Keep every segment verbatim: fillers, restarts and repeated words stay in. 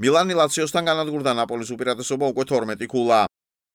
მილანი ლაციოსთან განადგურდა ნაპოლის უპირატესობა უკვე თორმეტი ქულა.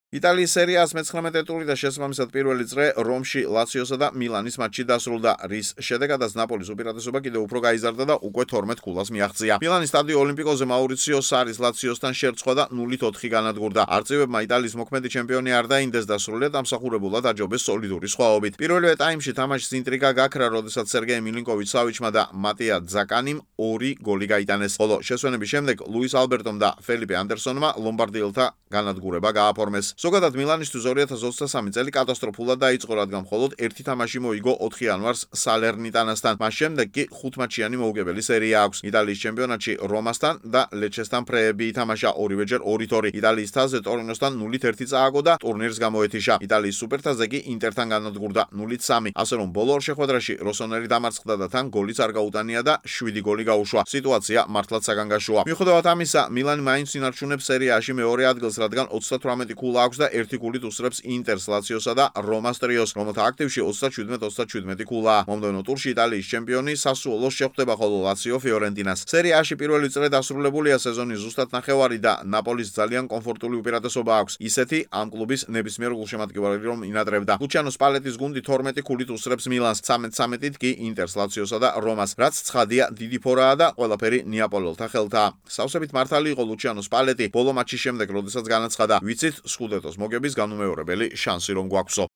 იტალიის სერიას მეცხრამეტე ტური და შესაბამისად პირველი წრე რომში ლაციოსა და მილანის მატჩი დასრულდა, რის შედეგადაც ნაპოლის უპირატესობა კიდევ უფრო გაიზარდა და უკვე თორმეტ ქულას მიაღწია. მილანის სტადიო ოლიმპიკოზე მაურიციო სარის ლაციოსთან შერწყვა და ნულით ოთხი განადგურდა. არწივებმა იტალიის მოქმედი ჩემპიონი არ დაინდეს და სრულიად ამსახურებულად აჯობეს სოლიდური სხვაობით. პირველივე ტაიმში თამაშის ინტრიგა გაქრა, როდესაც სერგეი მილინკოვიჩ-სავიჩმა და მატია ძაკანიმ ორი გოლი გაიტანეს, ხოლო შესვენების შემდეგ ლუის ალბერტომ და ფელიპე ანდერსონმა ლომბარდიელთა განადგურება გააფორმეს. ზოგადად მილანისთვის ორი ათას ოცდასამი წელი კატასტროფულად დაიწყო, რადგან მხოლოდ ერთი თამაში მოიგო ოთხი იანვარს სალერნიტანასთან. მას შემდეგ კი ხუთმატჩიანი მოუგებელი სერია აქვს. იტალიის ჩემპიონატში რომასთან და ლეჩესთან ფრეები ითამაშა ორივეჯერ ორით ორი. იტალიის თასზე ტორინოსთან ნულით ერთი წააგო და ტურნირს გამოეთიშა. იტალიის სუპერთასზე კი ინტერთან განადგურდა ნულით სამი. ასე რომ ბოლო ორ შეხვედრაში როსონერი დამარცხდა და თან გოლიც არ გაუტანია და შვიდი გოლი გაუშვა. სიტუაცია მართლაც საგანგაშოა. მიუხედავად ამისა, მილანი მაინც ინარჩუნებს სერიაში მეორე ადგილს, რადგან ოცდათვრამეტი ქულა აქვს და ერთი გოლით უსწრებს ინტერს, ლაციოსა და რომას ტრიოს, რომელთა აქტივში ოცდაჩვიდმეტ ოცდაჩვიდმეტი ქულაა. მომდევნო ტურში იტალიის ჩემპიონი სასუოლოს შეხვდება, ხოლო ლაციო ფიორენტინას. სერიაში პირველი წრე დასრულებულია, სეზონის ზუსტად ნახევარი და ნაპოლის ძალიან კომფორტული უპირატესობა აქვს. ისეთი ამ კლუბის ნებისმიერ გულშემატკივარი რომ ინატრებდა. ლუჩიანო სპალეტის გუნდი თორმეტი ქულით უსწრებს მილანს, ცამეტ ცამეტით კი ინტერს, ლაციოსა და რომას, რაც ცხადია დიდი ფორაა და ყველაფერი ნეაპოლელთა ხელთაა. სავსებით მართალი იყო ლუჩიანო სპალეტი ბოლო მატჩის შემდეგ, როდესაც განაცხადა, ვიცით სკუდეტოს მოგების განუმეორებელი შანსი რომ გვაქვსო.